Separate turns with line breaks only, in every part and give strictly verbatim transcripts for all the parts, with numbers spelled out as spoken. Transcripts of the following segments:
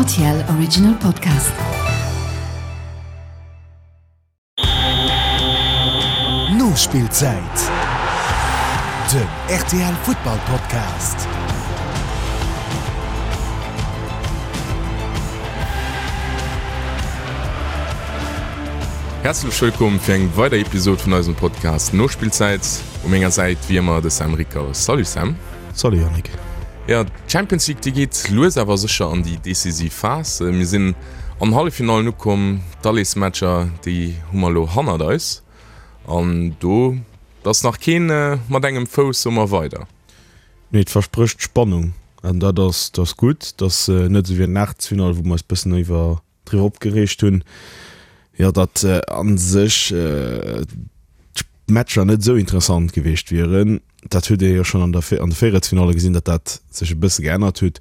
R T L Original Podcast.
Nospillzäit, den R T L Futtball Podcast.
Häerzlech wëllkomm fir eng weider Episod vun eisem Podcast Nospillzäit. U menger Säit wéi ëmmer de Sam Rickhaus. Salut Sam.
Salut Yannick.
Ja, d'Champions League déi geet lues awer sécher an déi decisiv Phas. Mir sinn an Halleffinallen ukomm, d'Allesmatcher déi hu mer lo hannert eis. An do ass nach keen mat engem Fouss soe mer weider.
Nee, et versprécht Spannung an dat ass, dat ass gutt. Dat ass net esou wéi an den Aachtelsfinall, wou mer eis bëssen iwwer driwwer opgereegt hunn. Jo, datt a sech d'Matcher net esou interessant gewiescht wieren. Dat huet ee jo schonn an der an de Véierelsfinalle gesinn, datt dat sech e bësse geännert huet.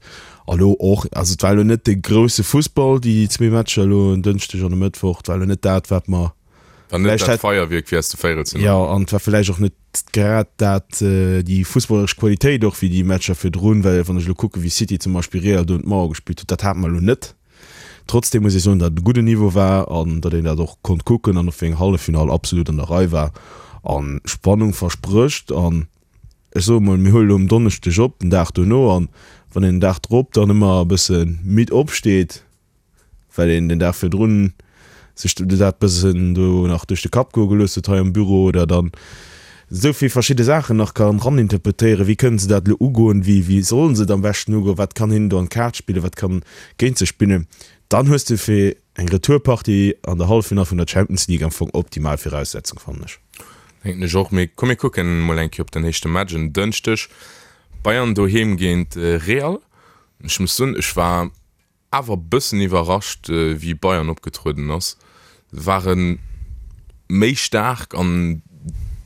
A lo och, also et war elo net de grousse Fussball, déi zwee Matcher elo en Dënschdeg an e Mëttwoch. Et war elo net dat, wat mer
War net dat Feierwierk wéi aus de Véierelsfinallen.
Jo, an et war vläicht och net grad dat déi fussballeresch Qualitéit och wéi déi Matcher virdrun, well wann ech elo kucke wéi City zum Beispill Real do un d'Mauer gespillt huet, dat hate mer elo net. Trotzdem muss ee soen, datt et e gudden Niveau war an datt een dat och konnt kucken an och fir eng Halleffinall absolut an der Rei war a Spannung versprécht. An ech soe mol, mir huele lo um Donneschdeg op, den Dag dono, an wann een den Dag drop dann ëmmer e bësse midd opsteet, well een den Dag virdrun sech dat bëssen do nach duerch de Kapp goe gelooss huet hei am Büro oder dann esou vill verschidde Saachen nach kann raninterpretéieren, wéi kënnen se dat elo ugoen, wéi wéi sollen se et am beschten ugoen, wat kann hinnen do an d'Kaart spillen, wat kann géint se spillen, dann hues de fir eng Retourpartie an der Halleffinall vun der Champions League am Fong optimal Viraussetzung, fannen ech.
Denken ech och. Mee komm mir kucken emol eng Kéier op den éischte Match en Dënschdeg, Bayern doheem géint Real. Ech muss soen, ech war awer bëssen iwwerrascht wéi Bayern opgetrueden ass. Se ware méi staark an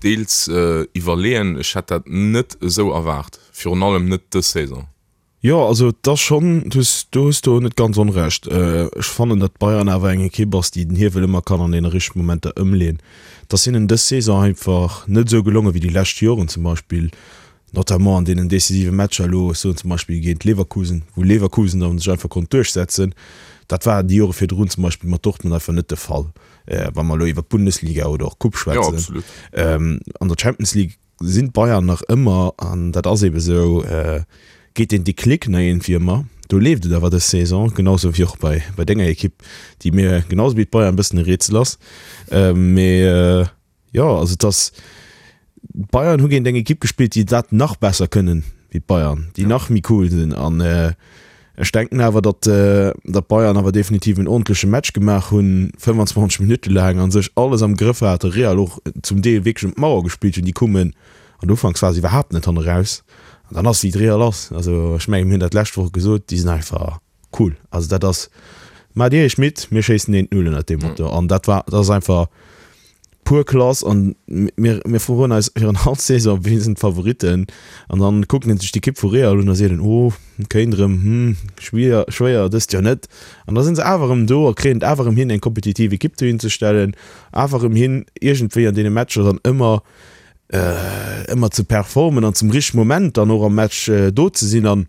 deels iwwerleeën. Ech hätt dat net esou erwaart, virun allem net dës Saison.
Jo, also et ass schonn, du hues, do hues du net ganz onrecht. Ech fannen, datt Bayern awer eng Ekipp ass, déi den Hiewel ëmmer kann an deene richtege Momenter ëmleeën. Et ass hinnen dës Saison einfach net esou gelongen, wéi déi lescht Joren zum Beispill. Notamment an deenen decisive Matcher elo, ech soen zum Beispill géint Leverkusen, wou Leverkusen dann sech einfach konnt duerchsetzen. Dat war déi Jore virdrun zum Beispill mat Dortmund einfach net de Fall, wa mer elo iwwer d'Bundesliga oder och d'Coupe schwätzen. An der Champions League sinn d'Bayern nach ëmmer, an dat ass eebe sou, geet den Déclic nach iergendwéi ëmmer. Do leeft et awer dës Saison, genau sou wéi och bei, bei denger Ekipp, déi mir genau sou wéi d'Bayern e bëssen e Rätsel ass. Mee jo, also et ass. D'Bayern hu géint eng Ekipp gespillt, déi dat nach besser kënnen wéi d'Bayern, déi nach méi cool sinn. An ech denken awer, datt datt d'Bayern awer definitiv en ordentleche Match gemaach hunn, fënnefanzwanzeg Minutte laang a sech alles am Grëff haten, Real och zum Deel wierklech ëm d'Mauer gespillt hunn. Déi koumen an der Ufanksphas iwwerhaapt net hanne raus. An dann ass wéi d'Real ass. Also ech mengen, mir hunn dat d'lescht Woch gesot, déi sinn einfach cool. Also dat ass, maacht Dir Iech midd, mir schéissen eent Null ënnert deem Motto. An dat war, dat ass einfach pur Klass an mir, mir froen eis virun all Saison, wien sinn d'Favoritten? An dann kuckt een sech d'Ekipp vu Real un a seet een, oh, kéint erëm, hm, schwier, schwéier dëst Joer net. An da sinn se awer erëm do a kréien et awer erëm hin, eng kompetitiv Ekipp dohin ze stellen, awer erëm hin, iergendwéi an deene Matcher dann ëmmer, ëmmer ze performen an zum richtege Moment dann och am Match do ze sinn. An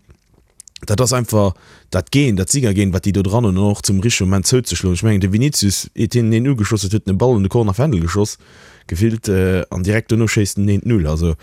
dat ass einfach dat Gen, dat Siegergen, wat déi do dran hunn an och zum richtege Moment zouzeschloen. Ech mengen, de Vinicius, iert hien een ugeschoss huet, huet en e Ball un de Corner Fändel geschoss, gefillt, an direkt dono schéisst en eent Null. Also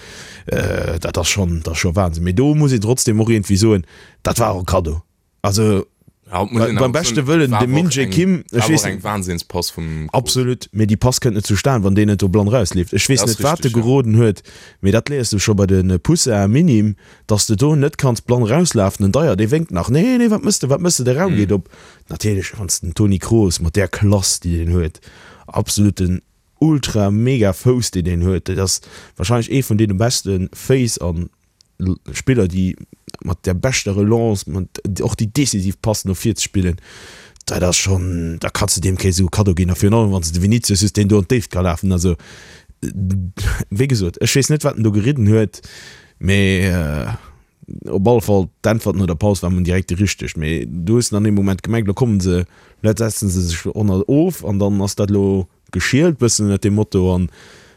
dat ass schonn, dat ass scho Wahnsinn. Mee do muss een trotzdem och iergendwéi soen, dat war och e Kaddo. Also beim beschte Wëllen, de Min-Jae Kim, ech weess
net. Eng Wahnsinnspass vum
Kroos. Absolut, mee déi Pass kënnt net zustan, wann deen net do blann rausleeft. Ech weess net, wat e geroden huet, mee dat léiers du scho bei de Poussins Minimes, dass de do net kanns blann rauslafen. Den Dyer, dee wénkt nach, Nee, nee, wat mëss de, wat mëss de, de Raum geet op. Natierlech, wann s de den Toni Kroos mat där Klass, déi deen huet, absoluten ultra mega Fouss, deen deen huet, dat ass wahrscheinlech ee vun deene beschte Féiss an Spiller, déi mat der beschter Relance, mat och déi decisiv Pass no vir ze spillen, dat ass schonn, da kanns de deem kee sou Kaddo ginn. A virun allem, wann s de de Vinicius hues, deen do an d'Déift ka lafen. Also, wéi gesot, ech weess net, wat en do geridden huet, mee op alle Fall, d'Äntwert no der Paus war mol direkt déi richteg. Mee du hues an deem Moment gemengt, lo kommen se, lo setzen se sech ënner of an dann ass dat elo geschielt bëssen ënnert deem Motto. An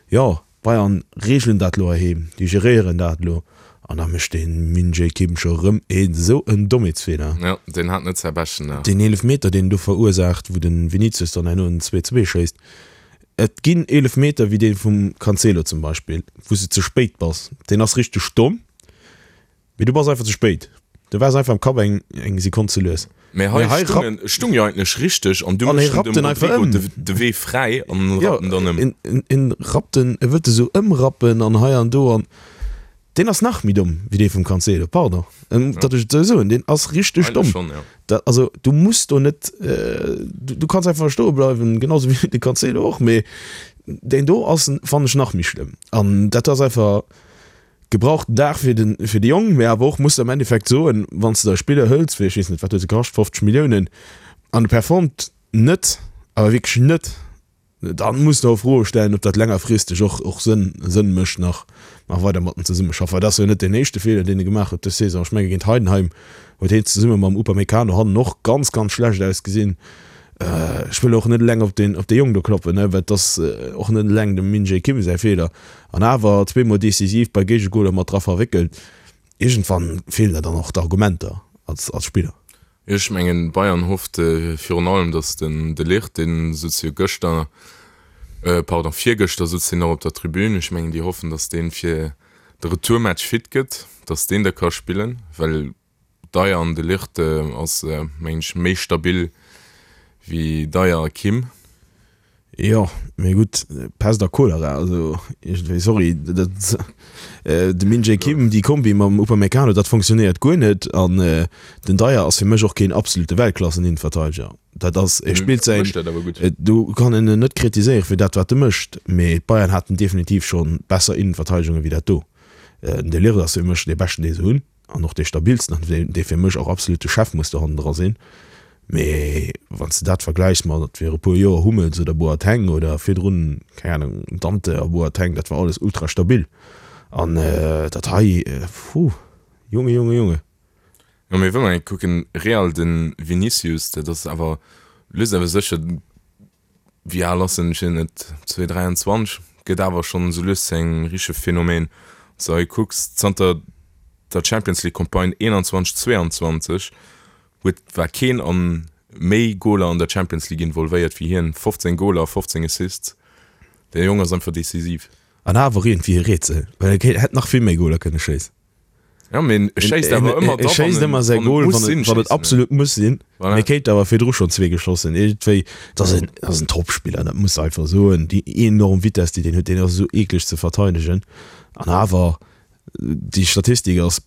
jo, D'Bayern reegelen dat elo heiheem, déi geréieren dat elo An da mécht de Min-Jae Kim scho rëm een esou en Dommheetsfeeler.
Jo, deen hat net säi beschten Dag.
Deen Eelefmeter, deen en do verursaacht, wou de Vinicius dann herno en zwee zwee schéisst. Et ginn Eelefmeter wéi dee vum Cancelo zum Beispill, wou s de ze spéit bass. Deen ass richteg domm, mee du bass einfach ze spéit. Du waars einfach am Kapp eng eng Sekonn ze lues.
Mee hei stung en, stung jo eigentlech richteg an du méchs dem Rodrigo de, de Wee fräi an en rappt en dann
ëm. En, en rappt en, e wëllt e sou ëmrappen an hei an do an deen ass nach méi domm wéi dee vum Cancelo, pardon, datt ech et esou soen, deen ass richteg domm. Schon, ja. Dat, also du muss do net, du, du kanns einfach stoe bleiwen, genau sou wéi de Cancelo och, mee deen do ass, fannen ech nach méi schlëmm an dat ass einfach. Gebrauchten Dag fir den fir de Jong, mee awer och muss de am Endeffekt soen, wann s de der e Spiller hëls fir, ech weess net, wat huet se kascht, fofzeg Milliounen, an e performt net, awer wierklech net, dann muss de och Froe stellen, ob dat längerfristeg och och Sënn Sënn mécht nach nach weider mat en zesummeschaffen. Well dat ass jo net deen éischte Feeler, deen e gemaach huet dës Saison. Ech menge géint Heidenheim huet hien zesumme mam Upamecano hannen och ganz, ganz schlecht ausgesinn. Ech wëll och net eleng op deen op dee Jong do kloppen, ne, well et ass och net eleng dem Min-Jae Kim säi Feeler. An awer zweemol decisiv bei Géigegoler mat dra verwéckelt. Iergendwann feelen der dann och d'Argumenter als als Spiller.
Jo, ech mengen Bayern hofft virun allem, datt den De Ligt, dee sutz jo gëschter, pardon, virgëschter sutz hien nach op der Tribün, ech mengen déi hoffen, datt dee fir de Retourmatch fit gëtt, datt deen da ka spillen, well Dier an De Ligt ass mengen ech méi stabil wéi Dier a Kim.
Jo, mee gutt, Pest a Cholera, also iergendwéi, sorry, dat de Min-Jae Kim, déi Kombi mam Upamecano, dat fonctionnéiert guer net an den Dier ass fir mech och keen absolute Weltklassen-Innenverteideger. Dat ass, e spillt säin, do kann een en net kritiséiere fir dat wat e mécht, mee d'Bayern haten definitiv scho besser Innenverteidegunge wéi dat do. Den De Ligt ass fir mech dee beschten dee se hunn. An och dee stabilsten an dee fir mech och absolut de Chef muss do hannendra sinn. Mee wann s de dat vergläichs mat vir e puer Joer Hummels oder Boateng oder virdrun, keng Ahnung, Dante a Boateng, dat war alles ultra stabil. An dat hei, puh, Junge, Junge, Junge.
Jo, mee wa mer eng kucken, Real, de Vinicius, dat ass awer lues awer sécher, wéi al ass en, ech weess net, zwee, dräianzwanzeg, gëtt awer schonn esou lues zu engem richtege Phänomen. Wann s de hei kucks, zanter der Champions League Campagne eenanzwanzeg, zweeanzwanzeg huet war keen an méi Goler an der Champions League involvéiert wéi hien, fofzéng Goler a fofzéng Assists. De Jong ass einfach decisiv.
An awer iergendwéi e Rätsel, well e hätt nach vill méi Goler kënne schéissen.
Jo, mee e schéisst awer ëmmer
da, wann en säi Gol, wann et wann et absolut muss sinn. Voilà. Mee kéint awer virdru schonn zwee geschoss hunn. Iergendwéi, dat ass en, dat ass en Topspiller, dat muss de einfach soen. Déi enorm Vitess, déi deen huet, deen ass esou eekleg ze verteidegen. An awer Déi Statistik ass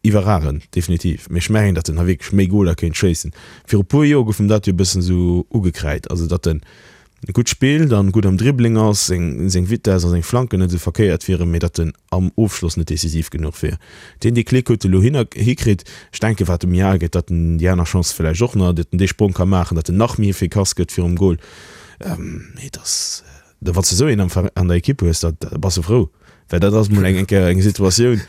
iwwerragend, definitiv. Mee ech mengen, datt en hei wierklech méi Goler kéint schéissen. Viru puer Joer gouf em dat jo e bëssen esou ugekräid, also datt en gutt spillt an gutt am Dribbling ass, seng seng Vitess a seng Flanken net esou verkéiert wieren, mee datt en am Ofschloss net decisiv genuch wier. Deen Déclic huet e lo hin hikritt. Ech denken, wat e méi al gëtt, datt en déi aner Chance vläicht och nach, datt en dee Sprong ka maachen, datt en nach méi efficace gëtt virum Gol. Mee et ass. Wann s de esou een am an der Ekipp hues, da bass de frou, well dat ass mol eng eng Kéier eng Situatioun,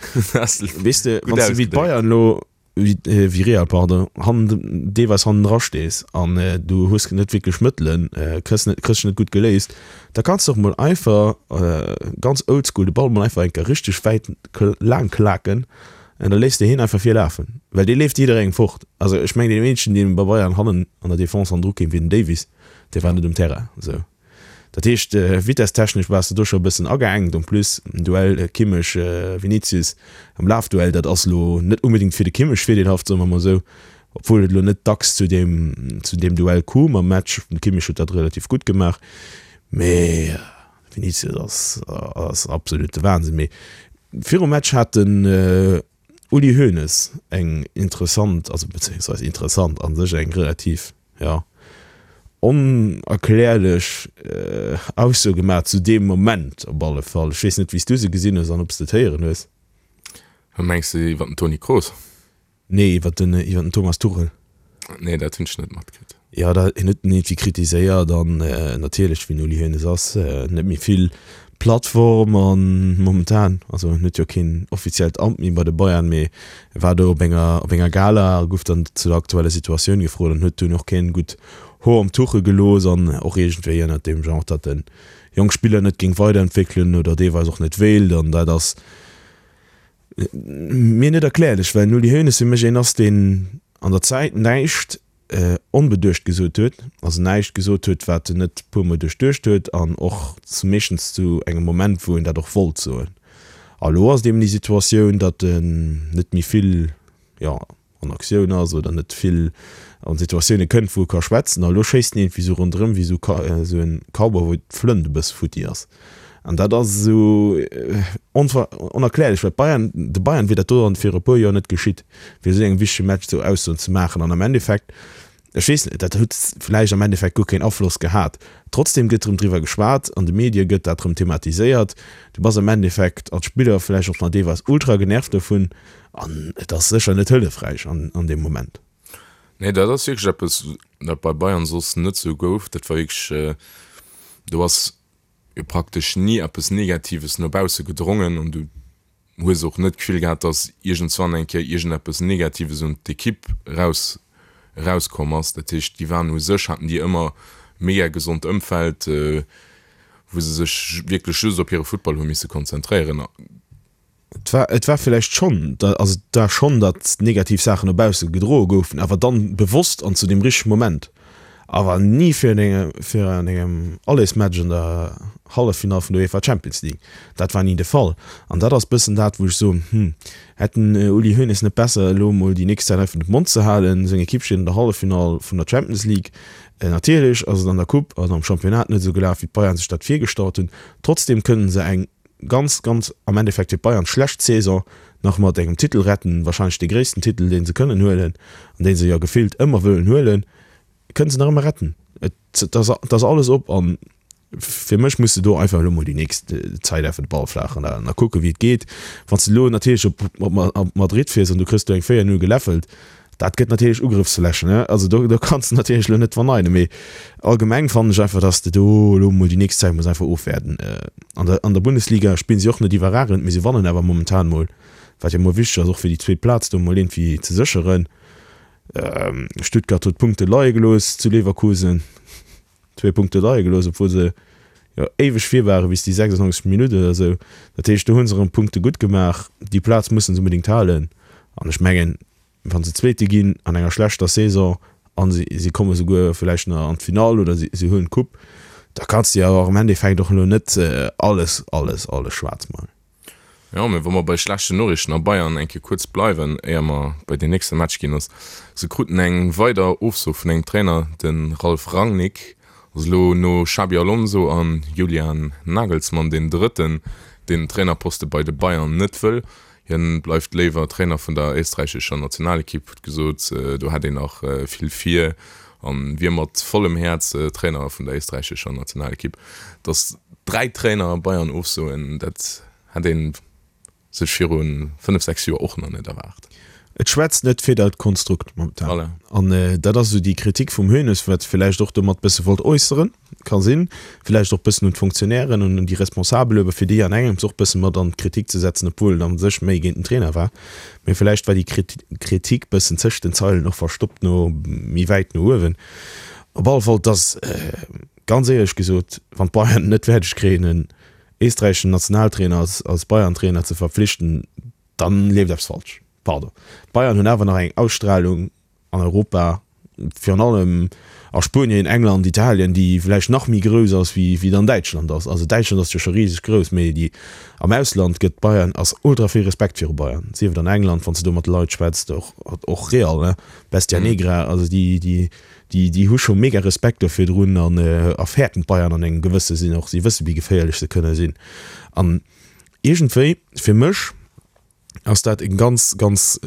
weess de, wann s de wéi d'Bayern elo, wéi Real, pardon, hannen, deelweis hannendra stees an du hues net wierklech Mëttelen, kriss net, kriss dech net gutt geléist, da kanns de och mol einfach ganz oldschool de Ball mol einfach eng Kéier richteg wäit laang klaken an da léiss de hien einfach virlafen, well dee leeft jidderengem fort. Also ech mengen, deen eenzegen, deen bei Bayern hannen an der Defense hannendru kéim, wier den Davies, dee war net um Terrain esou. Dat heescht, vitesstechnesch waars de do scho e bëssen ageengt. En plus den Duell Kimmich, Vinicius am Lafduell, dat ass elo net onbedéngt fir de Kimmich virdeelhaft, soe mer mol esou, obwuel et elo net dacks zu deem zu deem Duell koum am Match. De Kimmich huet dat relativ gutt gemaach, mee Vinicius ass ass absolute Wahnsinn. Mee virum Match hat den Uli Hoeneß eng interessant, also bezéiungsweis interessant, a sech eng relativ, jo, onerklärlech Ausso gemaach, zu deem Moment op alle Fall. Ech weess net, wéi s du se gesinn hues an ob s de et héieren hues.
Mengs de iwwer den Toni Kroos?
Nee, iwwer den, iwwer den Thomas Tuchel.
Nee, dat hunn ech net matkritt.
Jo, da, hien huet en iergendwéi kritiséiert an natierlech, wéi den Uli Hoeneß ass, net méi vill Plattform an momentan, also en huet jo keen offiziellt Amt méi bei de Bayern, mee e war do op enger op enger Gala a gouf dann zu der aktueller Situatioun gefrot an huet dunn och keen gutt Hoer um Tuchel gelooss an och iergendwéi ënnert deem Genre, datt en jonk Spiller net géing weiderentwéckelen oder deelweis och net wéilt an dat ass Mir net erklärlech, well den Uli Hoeneß fir mech een ass, deen an der Zäit näischt onbeduecht gesot huet, also näischt gesot huet, wat en net e puermol duerchduecht huet an och meeschtens zu engem Moment, wou en dat och wollt soen. A lo ass et eben déi Situatioun, datt en net méi vill, jo, an Aktioun ass oder net vill an Situatioune kënnt, wou e ka schwätzen. A lo schéisst en iergendwéi esou ronderëm wéi esou esou en Cowboy, wou d'Flënt e bësse futti ass. An dat ass esou onerklärlech, well d'Bayern, de Bayern wier dat do viru e puer Joer net geschitt, fir esou engem wichtege Match esou Aussoen ze maachen. An am Endeffekt, ech weess net, dat huet vläicht am Endeffekt guer keen Afloss gehat. Trotzdem gëtt erëm driwwer geschwat, an de Medie gëtt dat erëm thematiséiert. Du bass am Endeffekt als Spiller vläicht och nach deelweis ultra genervt dovun an et ass sécher net hëllefräich an deem Moment.
Nee, dat ass wierklech eppes, dat bei Bayern soss net sou gouf. Dat war wierklech, do ass jo praktesch ni eppes Negatives no bausse gedrongen an du hues och net d'Gefill gehat, datt iergendswann eng Kéier iergendeppes Negatives un d'Ekipp eraus erauskomm ass. Dat heescht, déi waren u sech, haten déi ëmmer mega gesond Ëmfeld, wou se sech wierklech just op hire Futtball hu misse konzentréieren.
Et war, et war villäicht schonn, also et war schonn, datt negativ Saachen no bausse gedroe goufen, awer dann bewosst an zu deem richtege Moment. Awer ni fir an engem, fir an engem Allesmatch an der Halleffinall vun der UEFA Champions League. Dat war ni de Fall. An dat ass bëssen dat, wou ech soen, hm, hätt den Uli Hoeneß net besser elo emol déi nächst Zäit einfach de Mond ze halen? Seng Ekipp steet an der Halleffinall vun der Champions League. Natierlech ass et an der Coupe an am Championnat net esou gelaf, wéi d'Bayern sech dat virgestallt hunn. Trotzdeem kënnen se eng ganz, ganz am Endeffekt fir d'Bayern schlecht Saison nach mat engem Titel retten, wahrscheinlech dee gréissten Titel, dee se kënnen huelen an dee se jo gefillt ëmmer wëllen huelen. Kënnen se nach ëmmer retten. Et ass, et ass alles op an fir mech muss de do einfach elo mol déi nächst Zäit einfach de Ball flaach halen a kucken, wéi et geet. Wann s de elo natierlech op, op Madrid fiers an du kriss do eng véier Null geläffelt, dat gëtt natierlech Ugrëffsflächen, ne? Also do, do kanns de natierlech elo net verneinen. Mee allgemeng fannen ech einfach, dass de do elo mol déi nächst Zäit muss einfach ofwäerden. An der, an der Bundesliga spillen si och net iwwerragend, mee se wannen awer momentan mol, wat jo mol wichteg ass, och fir déi zweet Plaz do mol iergendwéi ze sécheren. Stuttgart huet Punkte leie gelooss zu Leverkusen, zwee Punkte leie gelooss, obwuel se jo éiweg vir ware bis déi sechsundneunzeg. Minutt oder esou. Dat heescht, do hu se erëm Punkte gutt gemaach. Déi Plaz musse se onbedéngt halen. An ech mengen, wa se Zweete ginn an enger schlechter Saison a si si komme souguer vläicht nach an d'Finall oder si si huelen d'Coupe, da kanns de jo awer am Endeffekt och elo net alles, alles, alles schwaarz malen.
Jo, mee wa mer bei schlechten Noriichten a Bayern eng Kéier kuerz bleiwen, éier mer bei deen nächste Match ginn, ass, se kruten eng weider Ofso vun engem Trainer, de Ralf Rangnick ass elo no Xabi Alonso a Julian Nagelsmann deen drëtten, deen den Trainerposte bei de Bayern net wëll. Hien bleift léiwer Trainer vun der éisträichescher Nationalekipp, huet gesot, do hätt een nach vill vir a wier mat vollem Häerz Trainer vun der éisträichescher Nationalekipp. Datt dräi Trainer Bayern ofsoen, dat hätt ee sech viru fënnef, sechs Joer och nach net erwaart.
Et schwätzt net fir dat Konstrukt momentan.
Voilà.
An dat ass esou déi Kritik vum Hoeneß, wat villäicht och domat bësse wollt äusseren, ka sinn, villäicht och bëssen un d'Fonctionnairen an un déi Responsabel, awer fir déi an engems och bësse mat an d'Kritik ze setzen, obwuel et a sech méi géint den Trainer war. Mee villäicht war déi Kritik bëssen tëscht den Zeilen och verstoppt no méi wäit no uewen. Op alle Fall, et ass ganz éierlech gesot, wann d'Bayern et net fäerdeg kréien, en éisträicheschen Nationaltrainer als als Bayern-Trainer ze verpflichten, dann leeft eppes falsch. Pardon. D'Bayern hunn awer nach eng Ausstrahlung an Europa, virun allem a Spuenien, England, Italien, déi vläicht nach méi grouss ass wéi wéi et an Däitschland ass. Also Däitschland ass jo scho riseg grouss, mee déi am Ausland gëtt Bayern, ass ultra vill Respekt viru Bayern, sief et an England, wann s de do mat de Leit schwätzt, och och Real, ne, Bestia Negra, also déi déi Déi, déi hu scho mega Respekt do virdrun an a fäerten d'Bayern an engem gewësse Sinn och. Si wësse wéi geféierlech se kënne sinn. An iergendwéi, fir mech ass dat eng ganz, ganz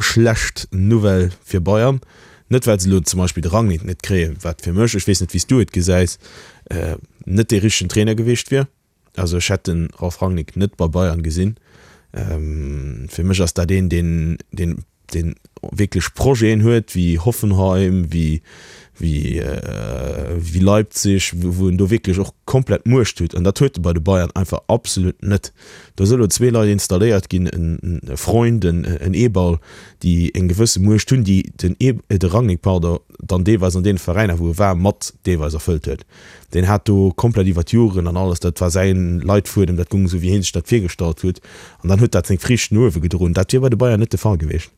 schlecht Nouvelle fir Bayern. Net well se elo zum Beispill de Rangnick net kréien, wat fir mech, ech weess net wéi s du et gesäis, net dee richtegen Trainer gewiescht wier. Also ech hätt de Ralf Rangnick net bei Bayern gesinn. Fir mech ass dat een, deen, deen deen wierklech Projeten huet wéi Hoffenheim, wéi wéi wéi Leipzig, wou en do wierklech och komplett Muecht huet an dat huet e bei de Bayern einfach absolut net. Do si elo zwee Leit installéiert ginn, en e Freund, en en Eberl, déi eng gewësse Muecht hunn, déi den E de Rangnick, pardon, dann deelweis an deene Veräiner, wou e war, mat deelweis erfëllt huet. Deen hat do komplett iwwer d'Joren an alles, dat war säin Leitfuedem, dat goung esou wéi hien sech dat virgestallt huet an dann huet dat seng Friichten no uewe gedroen. Dat wier bei de Bayern net de Fall gewiescht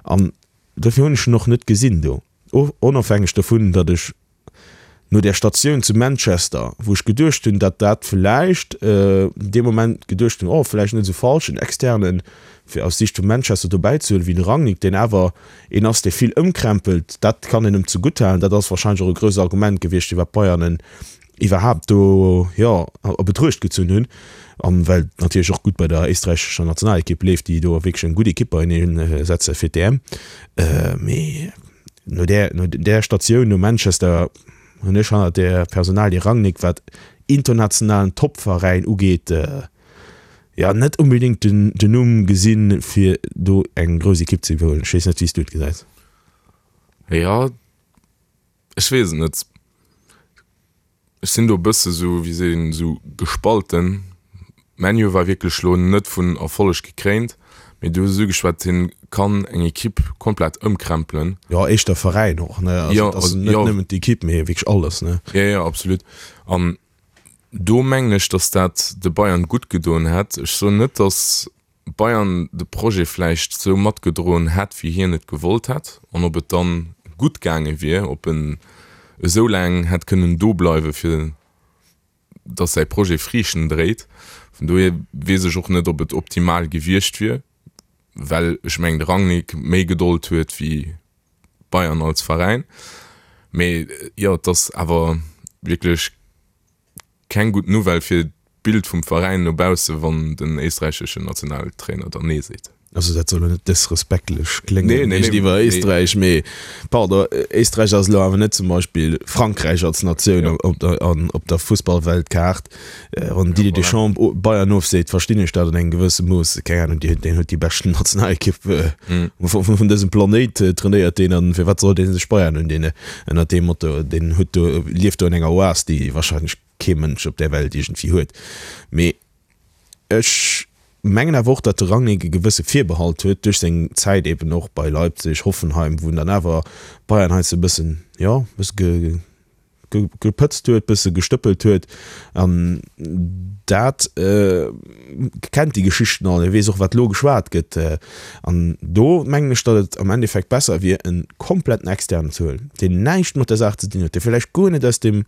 an dofir hunn ech en och net gesinn do, onofhängeg dovun, datt ech no där Statioun zu Manchester, wou ech geduecht hunn, datt dat vläicht dee Moment geduecht hunn, oh vläicht net esou falsch, en Externen fir aus Siicht vu Manchester dobäi ze huelen, wéi de Rangnick, deen awer een ass, dee vill ëmkrempelt, dat kann een em zegutt halen. Dat ass wahrscheinlech och e grousst Argument gewiescht, firwat d'Bayern en iwwerhaapt do, jo, a Betruecht gezunn hunn, an well et natierlech och gutt bei der éisträichescher Nationalekipp leeft, déi do wierklech eng gutt Ekipp beienee setze fir d'EM. Mee no där, no där Statioun, no Manchester, hunn ech hannert där Personalie Rangnick, wat internationalen Toppveräin ugeet, jo net unbedéngt den den Numm gesinn, fir do eng grouss Ekipp ze iwwerhuelen. Ech weess net, wéi s du et gesäis.
Jo, ech weess et net. Ech sinn do e bësse sou, wéi seet een, sou gespalten. ManU war wierklech lo net vun Erfolleg gekréint, mee du hues et ugeschwat, hien kann eng Ekipp komplett ëmkrempelen.
Jo, éischter Veräin och, ne? Also
Jo,
et ass net
jo.
nëmmen d'Ekipp, mee wierklech alles, ne?
Jo, jo, absolut. An do mengen ech, datt dat de Bayern gutt gedoen hätt. Ech soen net, datt Bayern de Projet vläicht sou matgedroen hätt, wéi hien et gewollt hätt, an ob et dann gutt gaange wier, ob en esou laang hätt kënnen do bleiwe fir datt säi Projet Friichten dréit. Vun dohier weess ech och net, ob et optimal gewiescht wier, well ech mengen de Rangnick méi Gedold huet wéi Bayern als Veräin. Mee jo, et ass awer wierklech keng gutt Nouvelle fir d'Bild vum Veräin no bausse wann den éisträicheschen Nationaltrainer dann Nee seet.
Also dat soll elo net dësrespektlech kléngen
Nee, nee, nee,
géintiwwer
nee.
Éisträich, mee pardon, Éisträich ass elo awer net zum Beispill Frankräich als Natioun
Ja.
op der, an, op der Fussballweltkaart. Wann
Ja,
Didier
voilà.
Deschamps Bayern ofseet, verstinn ech dat an engem gewësse Mooss. Keng Ahnung, deen, deen huet déi beschten Nationalekipp
Mhm.
vun, vun dësem Planéit trainéiert deen an firwat soll dee sech Bayern undinn? Ënnert deem Motto, deen huet do, lieft do an enger Oas, déi wahrscheinlech kee Mënsch op där Welt iergendwéi huet. Mee ech mengen awer och, datt de Rangnick e gewësse Virbehalt huet duerch seng Zäit eben och bei Leipzig, Hoffenheim, wou en dann awer Bayern heiansdo e bëssen, jo, e bësse ge, ge, gepëtzt huet, bësse gestëppelt huet. An dat kennt déi Geschichten all, e weess och, wat elo geschwat gëtt. An do mengen ech, datt et am Endeffekt besser wier, e kompletten Externen ze huelen, deen näischt mat der Saach ze dinn huet, dee vläicht guer net aus deem,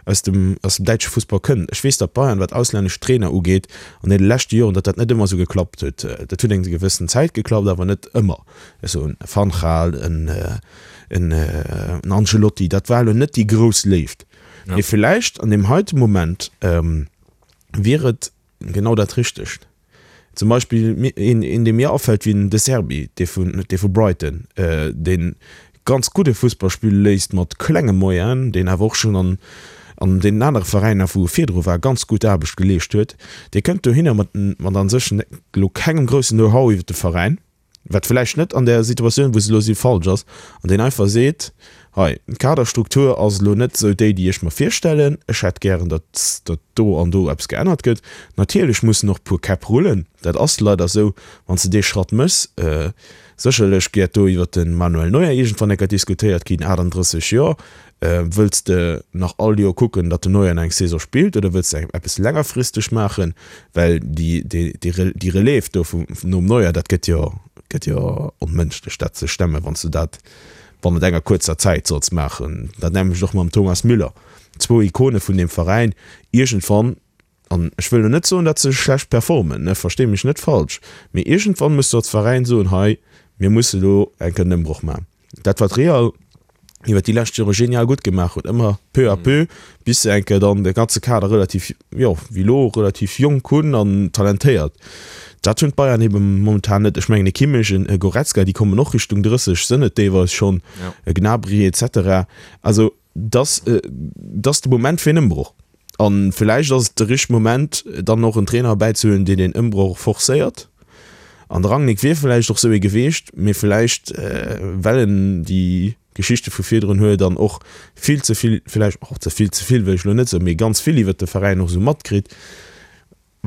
aus dem, aus dem däitsche Fussball kënnt. Ech weess, datt Bayern, wat auslännesch Trainer ugeet, an deene leschte Joren, datt dat net ëmmer esou geklappt huet. Dat huet eng gewëssen Zäit geklappt, awer net ëmmer. Ech soen, e Van Gaal, en, en, en Ancelotti, dat war elo net déi grouss Léift.
Ja.
Mee villäicht an deem heite Moment wier et genau dat Richtegt. Zum Beispill een, een dee mir afält, wéi den De Zerbi, dee vun, dee vu Brighton, dee ganz gudde Fussball spille léisst mat klenge Moyenen, deen awer och schonn an, an deenen anere Veräiner, wou e virdru war, ganz gutt Aarbecht geleescht huet. Dee kënnt dohinner mat, mat a sech elo kengem groussen Know-how iwwer de Veräin, wat vläicht net an där Situatioun, wou se elo si falsch ass, an deen einfach seet, Hei, d'Kaderstruktur ass elo net esou déi, déi ech mer virstellen. Ech hätt gären, datt, datt do an do eppes geännert gëtt. Natierlech mussen och e puer Käpp rullen, dat ass leider esou, wann s de dee Schratt méchs. Sécherlech gëtt do iwwert de Manuel Neuer iergendwann eng Kéier diskutéiert ginn, achtandrësseg Joer. Wëlls de nach all Joer kucken, datt den Neuer nach eng Saison spillt oder wëlls de eppes längerfristeg maachen? Well déi, déi, déi Relève do vum, nom Neuer, dat gëtt jo, gëtt jo onmënschlech dat ze stemmen, wann s de dat bannent enger kuerzer Zäit solls maachen. Dat nämmlecht och mam Thomas Müller, zwou Ikone vun deem Veräin. Iergendwann, an ech wëll elo net soen, datt se schlecht performen, ne, verstee mech net falsch, mee iergendwann muss du als Veräin soen, hei, mir musse lo eng Kéier en Ëmbroch maachen. Dat wat Real iwwer déi lescht Jore genial gutt gemaach huet, ëmmer peu à peu, bis se eng Kéier dann de ganze Kader relativ, jo, wéi elo, relativ jonk hunn an talentéiert. Dat hunn d'Bayern ebe momentan net. Ech mengen e Kimmich, en Goretzka, déi kommen och Richtung drësseg, sënn et deelweis schonn, e Gnabry et cetera. Also dass, dass de Moment fir en Ëmbroch. A villäicht ass et de richtege Moment, dann och en Trainer erbäizehuelen, deen deen Ëmbroch forcéiert. An de Rangnick wier villäicht och sou ee geweecht, mee villäicht, well en déi Geschichte vu virdrun huet an och vill ze vill, villäicht och ze vill, ze vill wëll ech elo net soen, mee ganz vill iwwert de Veräin och sou matkritt,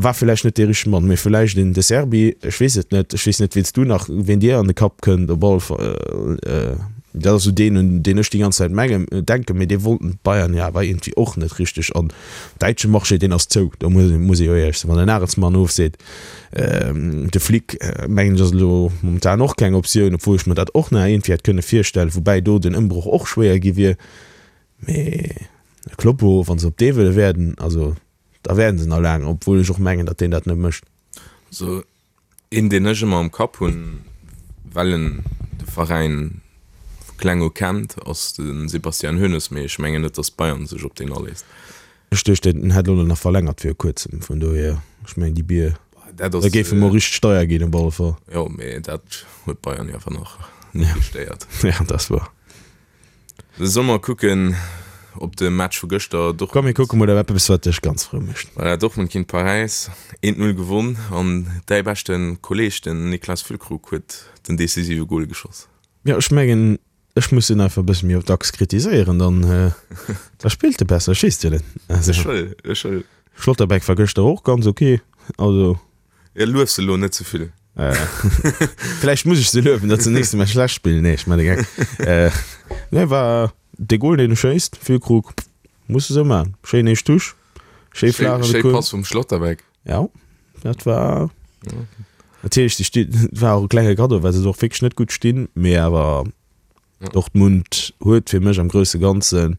War villäicht net dee richtege Mann, mee villäicht een De Zerbi, ech weess et net. Ech weess net, wien s du nach, wien dir an de Kapp kënnt, op alle Fall, Dat ass esou deen, un deen ech déi ganz Zäit mengen, denken, mee dee wollten d'Bayern jo awer iergendwéi och net richteg. An däitsche Marché, deen ass zou, do muss, muss ee jo éierlech sinn. Wann den Nagelsmann ofseet, de Flick, mengen ech, ass elo momentan och keng Optioun, obwuel ech mer dat och nach iergendwéi hätt kënne virstellen, woubäi do den Ëmbroch och schwéier gi wier. Mee de Kloppo, wa se op dee wëlle wäerden, also da wäerden se nach laang, obwuel ech och mengen, datt deen dat net mécht.
Also een, deen ech ëmmer am Kapp hunn, well en de Veräin vu kleng u kennt, ass de Sebastian Hoeneß, mee ech mengen net, datt Bayern sech op deen aléisst.
Ech duecht, en hätt elo nach verlängert viru kuerzem, vun dohier, ech mengen déi Bier,
Dat
da
ass,
géife mer richteg deier ginn op alle Fall.
jo, mee dat huet Bayern jo awer nach net gestéiert.
Ja, dat ass wuer.
Solle mer kucken op de Match vu gëschter,
Komm mir
Dortmund.
kucke mol op eppes wat dech ganz frou mécht.
Voilà, Dortmund géint Paräis, eent Null gewonn an däi beschte Kolleeg, den Niklas Füllkrug, huet den decisive Gol geschoss.
Jo, ech mengen ech muss en einfach e bësse méi dacks kritiséieren, dann da spillt e besser, ech weess et jo net. Also
Ech wëll, ech wëll.
Schlotterbeck war gëschter och ganz ok, also.
Ja, luef se elo net ze vill.
Vläicht muss ech se luewen, datt se nächste Match schlecht spillen. Nee, ech man de Geck. Nee, war de Goal, deen e schéisst, Füllkrug, muss de sou man. Schéin éischt Touche, schéi flaach an de
Schéi
Coin.
Pass vum Schlotterbeck.
Ja, dat war natierlech, déi sti war och e klenge Kaddo, well se och wierklech net gutt stinn, mee awer Dortmund huet fir mech am grousse Ganzen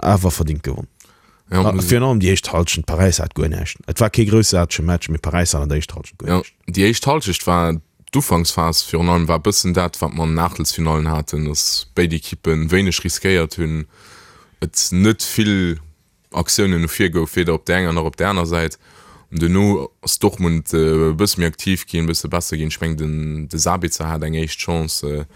awer verdingt gewonn.
Ja, muss
Virun allem déi éischt Halschent, Paräis hat guer näischt. Et war kee groussaartege Match, mee Paräis hat an der éischter Halschent guer
Ja,
näischt.
déi éischt Halschecht war d'Ufanksphas virun allem war e bëssen dat, wat mer an den Aachtelsfinallen haten, dass béid Ekippe wéineg riskéiert hunn, et net vill Aktiounen no vir gouf, weder op där enger nach op där aner Säit. An duerno ass Dortmund e bësse méi aktiv ginn, e bësse besser ginn. Ech mengen, den de Sabitzer hat eng éischt Chance,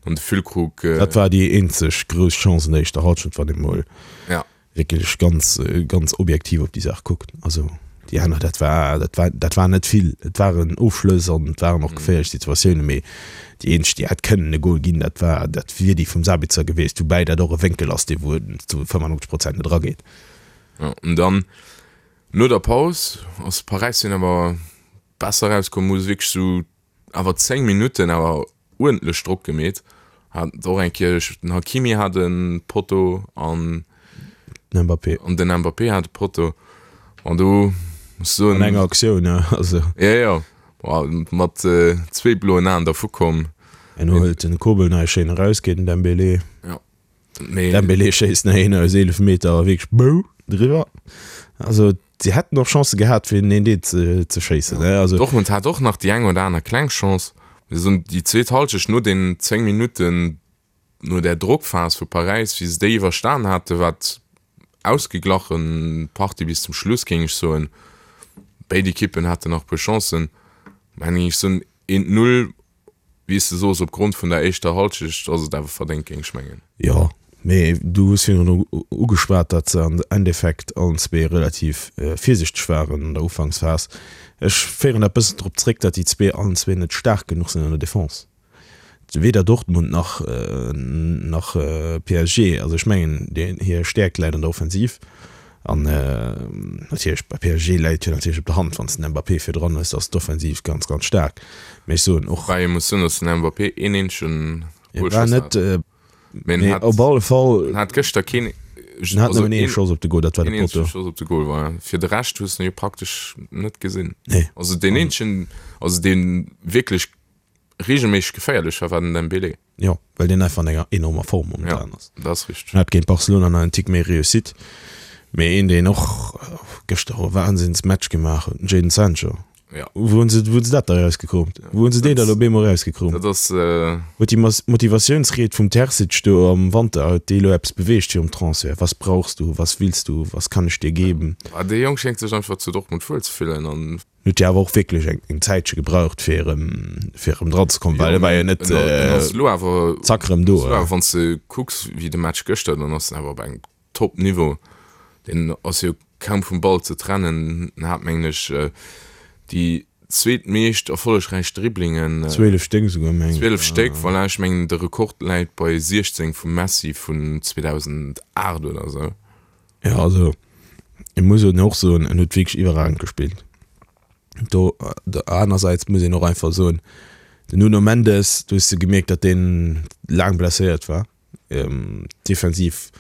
dann de Füllkrug.
Dat war déi eenzeg grouss Chance an der éischter Halschent, wann ee mol
Ja.
wierklech ganz, ganz objektiv op déi Saach kuckt. Also déi aner, dat war, dat war, dat war net vill. Et waren Ofschlëss an et waren och geféierlech Situatiounen, mee déi eenzeg, déi hätt kënnen e Gol ginn, dat war, dat wier déi vum Sabitzer gewiescht, woubäi dat och e Wénkel ass, dee wou zu fënnefannonzeg Prozent net erageet.
Ja, an dann no der Paus ass Paräis dunn awer besser erauskomm, hu se wierklech sou awer zéng Minutten awer uerdentlech Drock gemeet. Hat och eng Kéier, den Hakimi hat e Potto an
Den Mbappé.
An den Mbappé hat e Potto. An do muss soen.
An enger Aktioun, ja. Also.
Ja, ja. Mat zwee bloen Aen dervu komm.
Herno hëlt den Kobel nach ee schéin eraus géint den Dembélé.
Ja. Mee.
Dembélé schéisst nach een aus eelef Meter a wierklech bou driwwer. Also si hätten och Chancë gehat fir den een-Dee ze, ze schéissen, ne? Also.
Dortmund hat och nach déi eng oder aner kleng Chance. Mir soen, déi zweet Halschecht no den zéng Minutten, no där Drockphas vu Paräis, wéi se déi iwwerstan haten, war et ausgeglachen Partie bis zum Schluss, géing ech soen. Béid Ekippen haten nach e puer Chancen. Mä géing ech soen, eent Null, wéi s de soos, opgrond vun der éischter Halschecht ass et awer verdéngt, géing ech mengen.
Jo, mee du hues virun ugeschwat, datt se am Endeffekt allen zwee relativ virsichteg waren an der Ufanksphas. Ech féieren dat bëssen drop zréck, datt déi zwee allen zwee net staark genuch sinn an der Defense. Weder Dortmund nach nach P S G. Also ech mengen, hir Stäerkt läit an der Offensiv. An natierlech bei P S G läit jo natierlech op der Hand, wann s de den Mbappé virdran hues, ass d'Offensiv ganz, ganz staark. Mee ech soen och.
Woubäi ee muss soen, datt den Mbappé een eenzegen
Goal geschoss hat.
Mee en
hat op alle Fall.
En hat gëschter keen.
En hat nëmmen ee Schoss op de Goal, dat war de
Een eenzege
Potto.
Schoss op de Goal, voilà. Fir de Rescht hues de jo praktesch net gesinn.
Nee.
Also deen eenzegen, also dee wierklech regelméisseg geféierlech war, war den Dembélé.
Jo, well deen einfach an enger enormer Form momentan ass.
Ja, dat ass richteg.
En hat géint Barcelona nach en Tick méi Réussite, mee een deen och gëschter e Wahnsinnsmatch gemaach huet, den Jadon Sancho.
Ja.
Wou hunn se, wou hunn se dat da erausgekroomt? Wou hunn se deen da lo op eemol erausgekroomt?
Dat ass.
Huet déi Motivatiounsried vum Terzic do am Wanter, huet déi elo eppes beweegt virum Transfert? Was brauchst du, was willst du, was kann ich dir geben?
Dee Jong schéngt sech einfach zu Dortmund wuel ze fillen an.
Huet jo awer och wierklech eng eng Zäitche gebraucht fir erëm fir erëm dran ze kommen, well e war jo net zack erëm do.
Wann s de kucks wéi de Match gëschter, dann ass en awer op engem Top Niveau. Deen ass jo kaum vum Ball ze trennen. En hat mengen ech déi zweetmeescht erfollegräich Dribblingen.
Zwielef Stéck esouguer mengen ech.
Zwielef Stéck, voilà. Ech mengen de Rekord läit bei siechzéng vum Messi vun zweedausendacht oder esou.
Jo also ech muss och soen, en huet wierklech iwwerragend gespillt. Do anersäits muss een och einfach soen, Den Nuno Mendes, do hues de gemierkt, datt deen laang blesséiert war. Defensiv,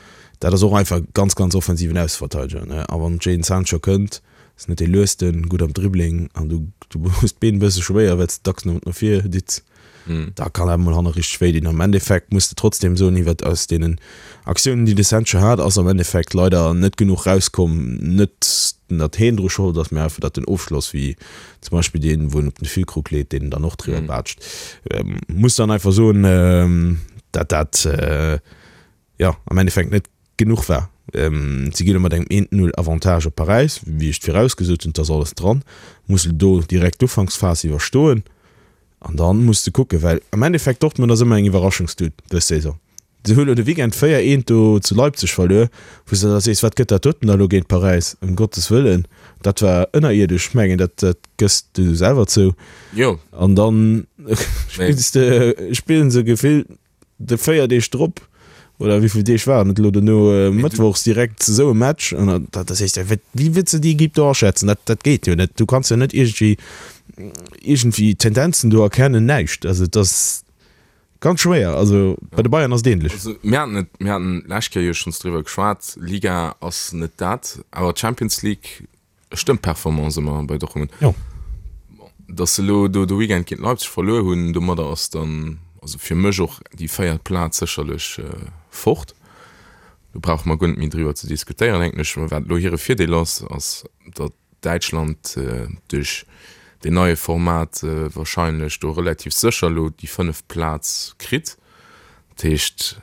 dat ass och einfach e ganz, ganz offensiven Ausseverteideger, ne? A wann Jadon Sancho kënnt, ass net dee luesten, gutt am Dribbling an du, du hues d'Been e bësse schwéier, well s de dacks no no vir ditz. Da kann dat mol hanne richteg wéi dinn. Am Endeffekt muss de trotzdem soen, iwwert aus deenen Aktiounen, déi de Sancho hat, ass am Endeffekt leider net genuch rauskomm. Net, datt heen dru Schold ass, mä einfach, datt den Ofschloss, wéi zum Beispill deen, wou en op den Füllkrug leet, deen dann och driwwer baatscht. Muss dann einfach soen, datt dat, jo, am Endeffekt net genuch war. Si ginn elo mat engem eent Null Avantage op Paräis, wéi ech et virausgesot hunn, et ass alles dran. Muss elo do direkt d'Ufanksphas iwwerstoen. An dann muss de kucken, well am Endeffekt Dortmund ass ëmmer eng Iwwerraschungstut dës Saison. Se hu lo de Weekend véier eent do zu Leipzig verluer, wou s de da sees, wat gëtt dat doten da lo géint Paräis, ëm Gottes wëllen, dat war ënnerierdesch. Ech mengen, dat dat gëss du selwer zou.
Jo.
An dann spills de, spillen se gefillt de véier Deeg drop oder wéi vill Deeg waren et elo dono, mëttwochs direkt esou e Match an da da sees de, wéi wéi wëlls de déi Equipe do aschätzen? Dat dat geet jo net. Du kanns jo net iergendwéi iergendwéi Tendenzen do erkennen, näischt. Also et ass ganz schwéier. Also bei de Bayern ass et ähnlech.
Also mir haten et, mir haten d'lescht Kéier jo schonns driwwer geschwat, Liga ass net dat, awer d'Champions League stëmmt d'Performance ëmmer bei Dortmund.
Jo.
Bon, datt se elo do de Weekend géint Leipzig verluer hunn, domadder ass dann also fir mech och déi véiert Plaz sécherlech fort. Do brauche mer guer net méi driwwer ze diskutéieren, denken ech. Wat elo hire Virdeel ass, ass datt Däitschland duerch deen neie Format wahrscheinlech do relativ sécher elo déi fënneft Plaz kritt. Dat heescht,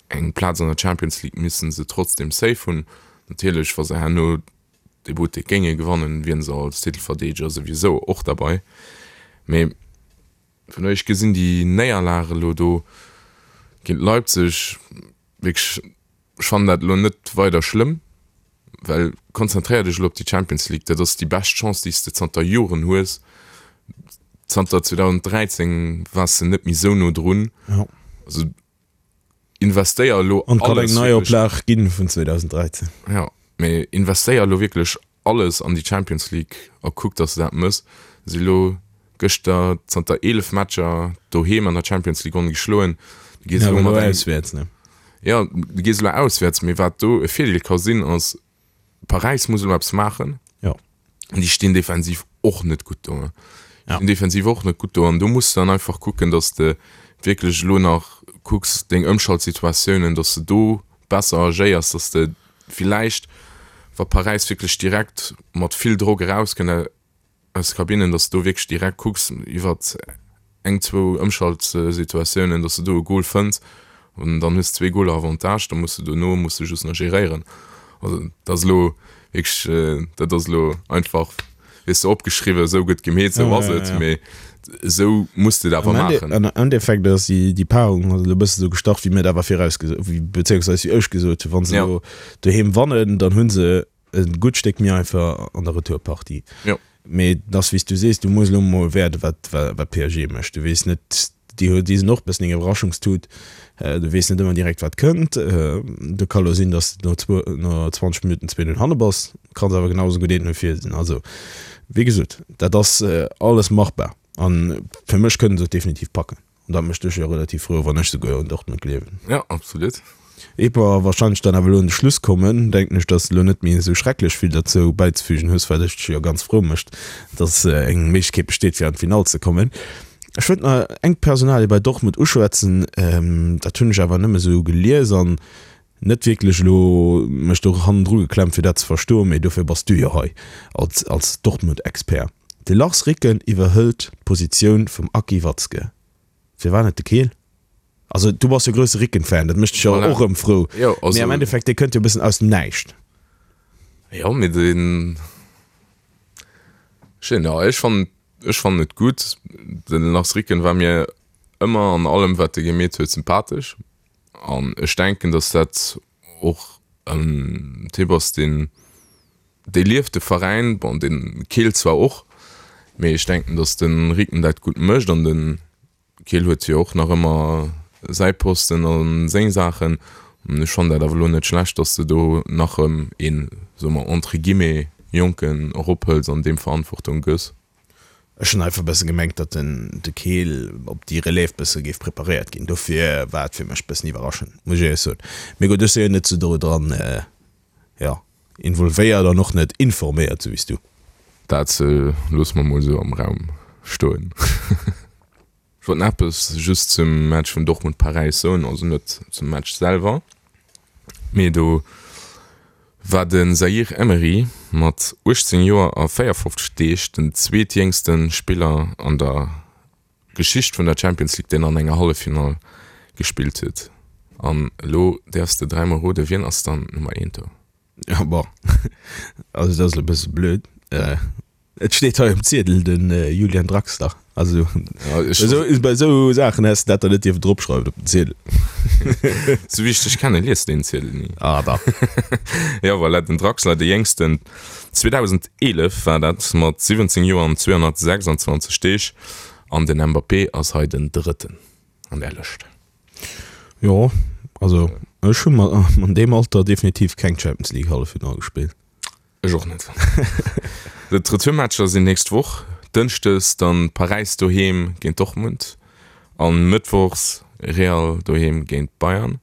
eng Plaz an der Champions League misste se trotzdem safe hunn. Natierlech, wa se herno dee Buttek géinge gewannen, wieren se als Titelverdeedeger souwisou och derbei. Mee vun ech gesinn déi Néierlag elo do géint Leipzig wierklech, ech fannen dat elo net weider schlëmm, well konzentréier dech elo op déi Champions League, dat ass déi bescht Chance, déi s de zanter Joren hues. Zanter zweedausenddräizéng waars de net méi esou no drun.
Ja.
Also investéier elo
An et kann eng
alles wierklech.
Neioplag ginn vun zweedausenddräizéng.
Ja, mee investéier elo wierklech alles an déi Champions League a kuck, dass de dat mëss. Si elo gëschter zanter eelef Matcher doheem an der Champions League ongeschloen. Du gees
Ja,
elo
awer
mat
elo
engem
auswäerts, ne?
Ja, du gees elo auswäerts, mee wat do e Virdeel ka sinn, ass, Paräis muss elo eppes maachen.
Jo.
An déi stinn defensiv och net gutt do.
Ja.
Stinn defensiv och net gutt do. An do muss de dann einfach kucken, dass de wierklech elo nach kucks, deng Ëmschaltsituatiounen, dass de do besser agéiers, dass de villäicht, wa Paräis wierklech direkt mat vill Drock erauskënnt aus de Kabinnen, dass de do wierklech direkt kucks iwwert eng, zwou Ëmschaltsituatiounen, dass de do e Gol fënns an dann hues de zwee Goler Avantage, da muss de dono muss de just nach geréieren. Also dat ass elo wierklech, dat ass elo einfach, weess de, opgeschriwwen, esou gëtt gemeet, esou ass et, mee esou muss de et awer maachen.
Am Endeffekt ass déi Paarung elo e bësse sou gestart, wéi mir et awer virausgesot, beziéungsweis wéi ech gesot hunn, wa se elo doheem wannen, dann hu se e gutt Stéck méi einfach an der Retourpartie.
Jo.
Mee et ass wéi s du sees, du muss elo mol wäerden, wat wat P S G mécht. Du weess net, déi hu déi sinn och e bëssen eng Iwwerraschungstut. Du weess net ëmmer direkt, wat kënnt. Do ka lo sinn, datt s de no zwou no zwanzeg Minutten zwee Null hanne bass. Kanns awer genau esou gutt eent Null vir sinn. Also wéi gesot, dat ass alles machbar. A fir mech kënne se et definitiv packen. An dat mécht dech jo relativ frou, wann ech souguer un Dortmund gleewen.
Ja, absolut.
Eet mer wahrscheinlech dann awer elo un de Schluss kommen, denken ech, dass de elo net méi esou schrecklech vill derzou bäizefügen hues, wat dech jo ganz frou mécht, dass eng Méiglechkeet besteet, fir an d'Finall ze kommen. Ech wëllt nach eng Personalie bei Dortmund uschwätzen, dat hunn ech awer nëmme esou gelies an net wierklech elo mech do hannendru geklemmt, fir dat ze verstoen, mee dofir bass du jo hei als als Dortmund-Expert. De Lars Ricken iwwerhëlt d'Positioun vum Aki Watzke. Firwat net de Kehl? Also du bass jo grousse Ricken-Fan, dat mécht dech jo
Voilà.
och erëm frou.
Jo, also,
Mee am Endeffekt, dee kënnt jo e bëssen aus dem Näischt.
Jo, mee deen, ech, ja, ech fannen, ech fannen et gutt. Den Lars Ricken war mir ëmmer an allem, wat e gemeet huet, sympathesch. An ech denken, dass dat och en Typ ass, deen, dee lieft de Veräin, bon, den Kehl zwar och, mee ech denken, dass de Ricken dat gutt mécht an de Kehl huet jo och nach ëmmer säi Posten a seng Saachen. An ech fannen dat awer elo net schlecht, dass de do nach erëm een, soe mer entre guillemets, Jonken erophëls an deem Verantwortung gëss.
Ech hunn einfach e bësse gemengt, datt den de Kehl op déi Relève bësse géif preparéiert ginn. Dofir war et fir mech bëssen iwwerraschend, muss ech éierlech soen. Mee gutt, ech si jo net sou do dran, jo, involvéiert an och net informéiert, sou wéi s du.
Dat loosse mer mol esou am Raum stoen. Ech wollt nach eppes just zum Match vun Dortmund-Paräis soen, also net zum Match selwer, mee do war den Zaïre-Emery mat uechtzéng Joer a véierfofzeg Deeg den zweetjéngste Spiller an der Geschicht vun der Champions League, deen an enger Halleffinall gespillt huet. An elo däerfs de dräimol roden, wien ass dann Nummer eent do?
Jo, bon, also dat ass elo e bësse blöd. Et steet hei um Ziedel den Julian Draxler. Also bei esou Saachen häss de dat dann net dierfen dropschreiwen op den Ziedel.
Sou wéi ech dech kennen, lies de deen Ziedel ni.
Ah dach.
Jo voilà, den Draxler, de jéngsten, zweedausendeelef war dat, mat siwwenzéng Joer an zweehonnertsechsundzwanzeg Deeg. An den Mbappé ass hei den drëtten an där Lëscht.
Jo, also ech hu an deem Alter definitiv keng Champions League Halleffinall gespillt.
Ech och net. D'Retourmatcher sinn nächst Woch, Dënschdes dann Paräis doheem géint Dortmund an Mëttwochs Real doheem géint Bayern.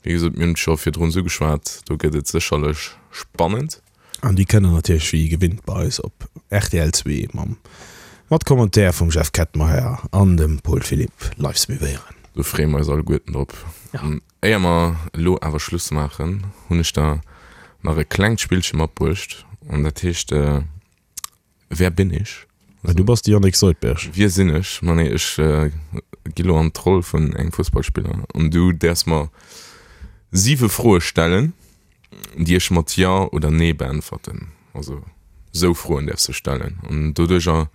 Wéi gesot, mir hunn et scho virdrun ugeschwat, do gëtt et sécherlech spannend.
An déi kënnt der natierlech wéi gewinnt bei eis op rtl zwee mam mat Commentaire vum Jeff Kettenmeyer an dem Paul Philipp live suivéieren.
Do freeë mer eis alleguerten drop. An éier mer elo awer Schluss maachen, hunn ech der nach e klengt Spillche matbruecht an dat heescht Wer bin ich?
Ah, du bass de Yannick Soldberg.
Wie sinn ech? Ma nee, ech gi lo an d'Roll vun engem Fussballspiller an du däerfs mer siwe Froe stellen, déi ech mat Ja oder Nee beäntwerten. Also sou Froen däerfs du stellen an doduercher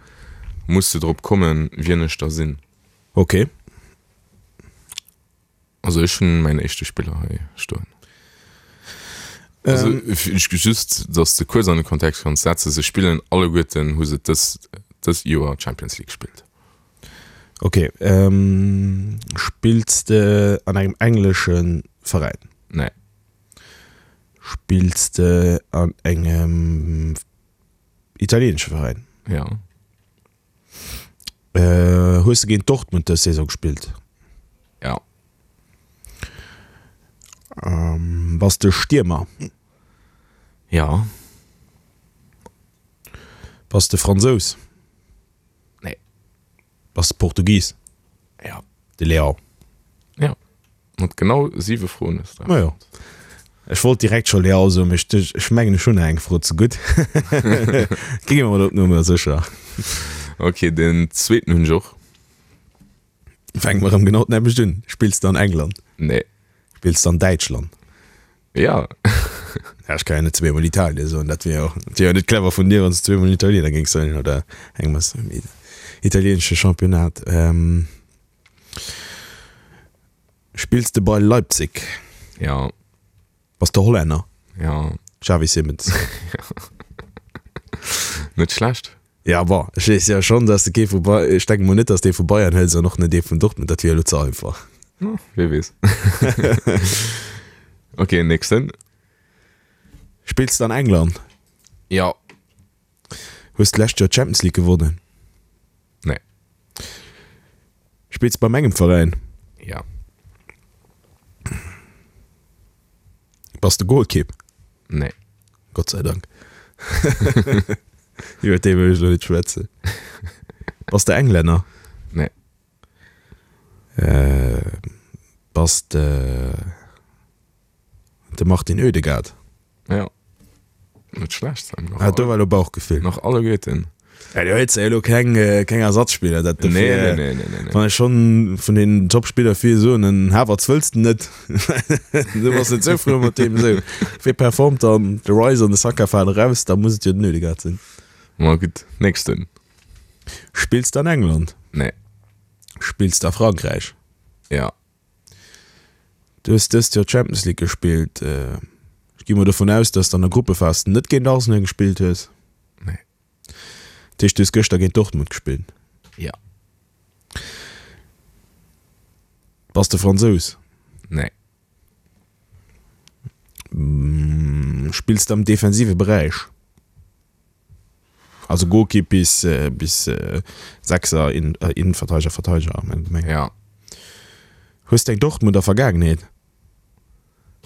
muss de drop kommen, wien ech da sinn.
Ok.
Also ech hunn mäin éischte Spiller hei stoen. Also ech just, datt de kuerz an de Kontext kanns setzen, se spillen alleguerten, hu se dës dëst Joer Champions League gespillt.
Ok. Spills de an engem englesche Veräin?
Nee.
Spills de an engem italieenesche Veräin?
Ja.
Hues de géint Dortmund dës Saison gespillt?
Ja.
Bass de Stiermer?
Ja.
Bass de Fransous?
Nee.
Bass de Portugis?
Ja.
De Leão?
Ja. Mat genau siwe Froen hues de.
Majo. Ech wollt direkt scho Leão soen, mee ech, ech mengen ech hunn nach eng Fro ze gutt. Gi mer mol op Nummer sécher.
Ok, den zweeten hunn ech och.
Fänke mer erëm genau d'nämmlecht un. Spills de an England?
Nee.
Spills de an Däitschland?
Ja.
Ja, ech ka jo net zweemol Italien soen, dat wier jo, dat wier jo net clever vun dir, wann s de zweemol Italiener géings soen oder engem aus dem italieenesche Championnat. Spills de bei Leipzig?
Ja.
Bass de Hollänner?
Ja.
Xavi Simons.
Net schlecht.
Ja, bon, ech weess jo schonn, dass de kee vu Bay-, ech denke mol net, dass de ee vu Bayern hëls an och net ee vun Dortmund, dat wier elo ze einfach.
Oh, wie weess. Ok, nächsten.
Spills de an England?
Ja.
Hues d'lescht Joer d'Champions League gewonnen?
Nee.
Spills bei mengem Veräin?
Ja.
Bass de Golkipp?
Nee.
Gott sei Dank. Iwwer dee wëll ech elo net schwätzen. Bass de Englänner?
Nee.
Bass de de Martin Ødegaard?
Ja. Net schlecht, Sam.
Ah, do war elo Bauchgefill.
Nach alleguerten.
Ja, du hues jo elo keng, keng Ersatzspiller. Dat
nee, nee, nee, nee, nee, nee.
Wann ech schonn vun den Topspiller vill soen, den Havertz wëlls de net. Du bass net sou frou mat deem esou. Wee performt dann? De Rice an de Saka falen eraus, da muss et jo den Ødegaard sinn.
Ma gutt, nächsten.
Spills de an England?
Nee.
Spills de a Frankräich?
Ja.
Du hues dëst Joer d'Champions League gespillt. Ech gi mol dovun aus, dass de an der Gruppephas net géint Arsenal gespillt hues.
Nee.
Dat heescht, du hues gëschter géint Dortmund gespillt?
Ja.
Bass de Fransous?
Nee.
Spills de am defensive Beräich? Also Golkipp bis bis Sechser, Innenverteidiger, Verteidiger am Allgemeng.
Ja.
Hues de eng Dortmunder Vergaangenheet?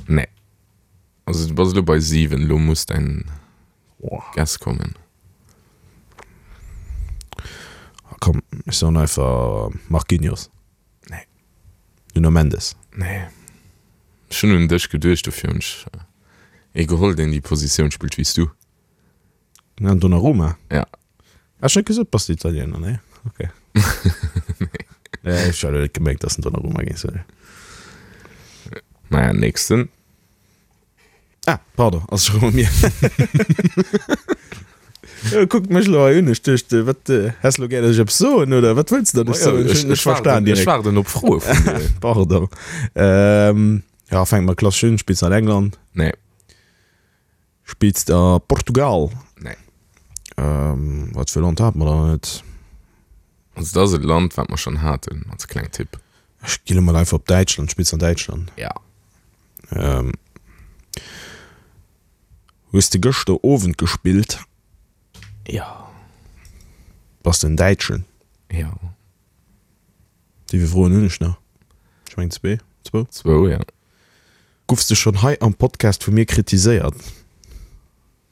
Nee. Also du bass elo bei siwen, elo muss däin Guess kommen.
Komm, ech soen einfach Marquinhos.
Nee.
Nuno Mendes.
Nee. Ech hunn un dech geduecht, dofir hunn ech ee geholl, deen déi Positioun spillt wéi s du.
Den Donnarumma?
Ja.
Hat ech net gesot, bass de Italiener? Nee? Ok. Nee, ech hat elo net gemengt, dass den Donnarumma géing soen.
Naja, nächsten.
Ah, pardon, ass scho rëm u mir. Kuckt mech elo hei un, ech duecht, wat, häss elo gär, datt ech eppes soen, oder wat wëlls de, datt ech soen? Ech hunn net verstan direkt.
Ech waarden op Froe vun dir.
Pardon. Ähm, ja, fänke mer klassesch un. Spills de an England?
Nee.
Spills de a Portugal?
Nee.
Ähm, wat fir e Land hate mer dann net?
Also, dat ass e Land, wat mer schonn haten, als kleng Tipp.
Ech gi lo mol einfach op Däitschland. Spills an Däitschland?
Ja.
Ähm, hues de gëschter Owend gespillt?
Ja.
Bass de en Däitschen?
Ja.
Wéi vill Froen hunn ech nach? Ech mengen zwee, zwou?
Zwou, ja.
Guffs de schonn hei am Podcast vu mir kritiséiert?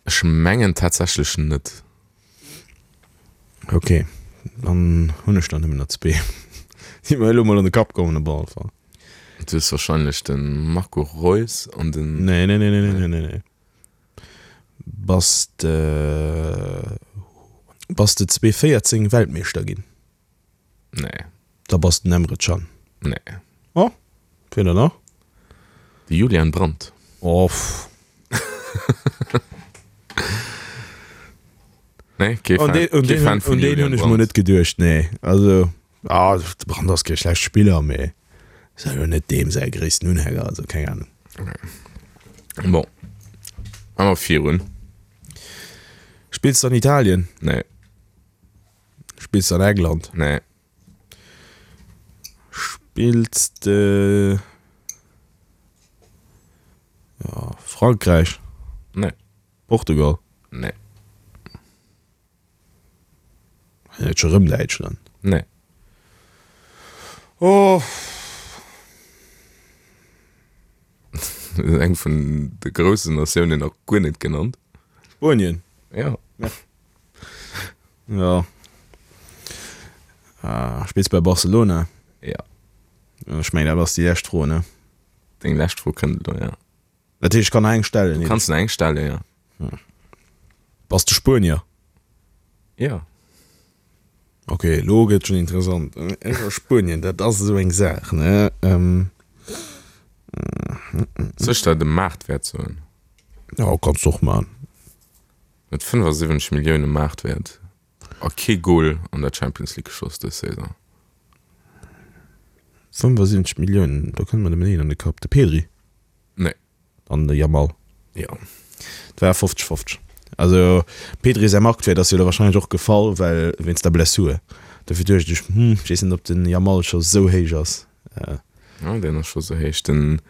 Ech mengen tatsächlech net.
Ok, dann hunn ech der nëmmen nach zwee, déi mer elo mol an de Kapp kommen op alle Fall.
Du hues wahrscheinlech de Marco Reus an den.
Nee, nee, nee, nee, nee, nee, nee. Bass de, bass de zwee véierzéng Weltmeeschter ginn?
Nee.
Da bass den Emre Can.
Nee.
Oh, wien dann nach?
De Julian Brandt.
Oh, pff.
Nee, kee
Fan,
Fan,
un
kee Fan vun
deen
Julian
hunn ech mol
Brandt.
net geduecht, nee. Also, ah, de Brandt ass kee schlechte Spiller, mee ass elo net deem säi gréissten Unhänger, also keng Ahnung.
Okay. Bon, awer virun.
Spills de an Italien?
Nee.
Spills de an England?
Nee.
Spills de ja, Frankräich?
Nee.
Portugal?
Nee.
Net scho rëm Däitschland?
Nee.
Oh.
Eng vun de groussen Natiounen nach guer net genannt.
Spuenien?
Ja.
Ja. Ah, spills bei Barcelona?
Ja.
Ech mengen, dat ass déi lescht Fro, ne?
Deng lescht Fro kënnt elo, ja.
Dat heescht, ech kann nach eng stellen?
Du kanns nach eng stellen, ja.
Hm. Bass de Spuenier?
Ja.
Ok, elo gëtt schonn interessant. Ech a Spuenien, dat ass esou eng Saach, ne? Ähm.
Soll ech der de Maartwäert soen?
Jo, kanns de och maachen.
Huet fënnefasiwwenzeg Millioune Maartwäert a kee Gol an der Champions League geschoss dës Saison.
fënnefasiwwenzeg Milliounen, do kënnt mer nëmmen een an de Kapp, de Pedri.
Nee.
An de Yamal.
Jo.
Et war fofzeg fofzeg. Also Pedri säi Marktwäert ass jo elo warscheinlech och gefall, well wéinst der Blessur. Dofir duecht ech, hm, ech weess net, ob den Yamal scho sou héich ass.
Jo, deen ass scho sou héich. Den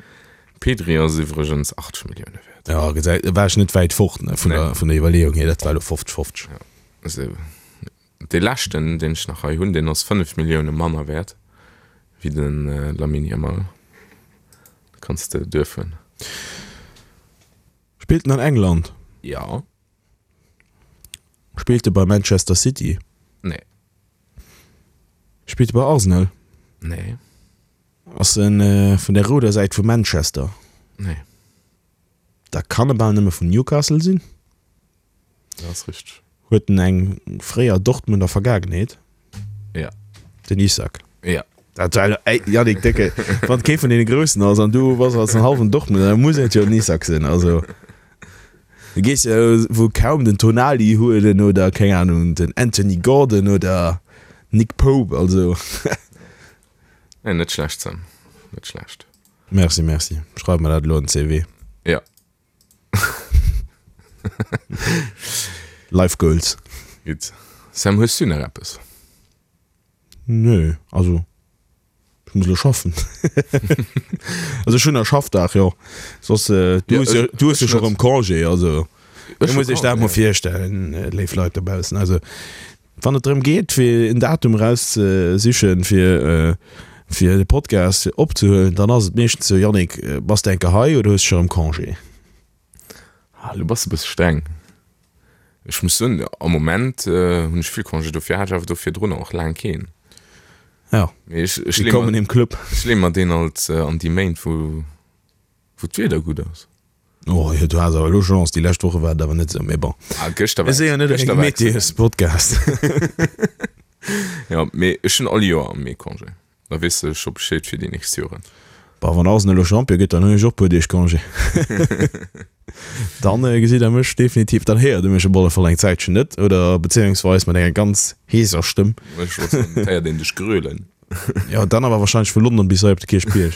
Pedri ass iwwregens achtzeg Millioune wäert.
Jo, gesäit, war ech net wäit fort, ne, vun der, vun der Iwwerleeung hier. Dat war elo fofzeg fofzeg.
Jo, also dee leschten, deen ech nach hei hunn, deen ass fënnef Millioune manner wäert wéi de Lamine Yamal. Da kanns de duerfueren.
Spillt en an England?
Jo.
Spillt e bei Manchester City?
Nee.
Spillt e bei Arsenal?
Nee.
Ass en vun der rouder Säit vu Manchester?
Nee.
Da kann e bal nëmme vun Newcastle sinn.
Dat ass richteg.
Huet en eng fréier Dortmunder Vergaangenheet?
Ja.
Den Isak.
Ja.
Dat war elo, ey, Yannick, décke, wann kee vun deene Groussen ass an du bass als en hallwen Dortmunder, da muss et jo den Isak sinn. Also, du gees jo wuel kaum den Tonali huelen oder, keng Ahnung, den Anthony Gordon oder Nick Pope, also.
Nee, net schlecht, Sam. Net schlecht.
Merci, merci. Schreif mer dat elo an den C V.
Ja.
Life Goals.
Gutt. Sam, hues du nach eppes?
Nö, also ech muss elo schaffen. Also ech hunn nach Schaffdag, jo. Soss, du hues jo, du hues jo scho rëm Congé, also. Ech muss iech dat mol virstellen, léif Leit dobaussen. Also, wann et drëm geet, fir en Datum erauszesichen, fir, fir de Podcast opzehuelen, dann ass et meeschtens sou, Yannick, bass de enke hei oder hues de scho erëm Congé?
Ah, lo bass de e bësse streng. Ech muss soen, am Moment hunn ech vill Congé, dofir hat ech awer do virdrun och laang keen.
Ja,
Mee ech, ech leeë
willkommen
mer,
im Club.
ech leeë mer deen alt an déi Méint, wou, wou d'Wieder gutt ass.
Oh jo, du has awer elo Chance, déi lescht Woche war et awer net esou, mee bon.
Ah, gëschter
Mir
war
si jo net
gëschter
e
war excellent.
Meteos-Podcast.
Ja, mee ech hunn all Joer am Mee Congé. Da weess de scho Bescheed fir déi nächst Joren.
Bah, wann Arsenal elo Champion gëtt, dann hunn ech och puer Deeg Congé. Dann gesitt der mech definitiv, dann héiert der mech op alle Fall eng Zäitchen net, oder bezéiungsweis mat enger ganz heeser Stëmm.
Ech wollt soen, et héiert een dech grölen.
Jo, dann awer wahrscheinlech vu London bis hei op de Kierchbierg.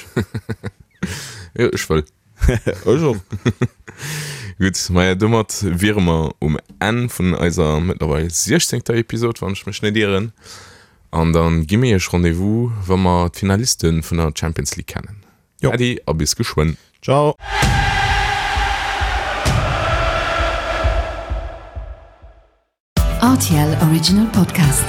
Jo, ech wëll.
Ech och.
Gutt, maja, domat wiere mer um Enn vun eiser mëttlerweil siechzéngter Episod, wann ech mech net ieren. An da gi mir iech Rendez-vous, wa mer d'Finaliste vun der Champions League kennen.
Jo.
Äddi a bis geschwënn.
Ciao.
R T L Original Podcast.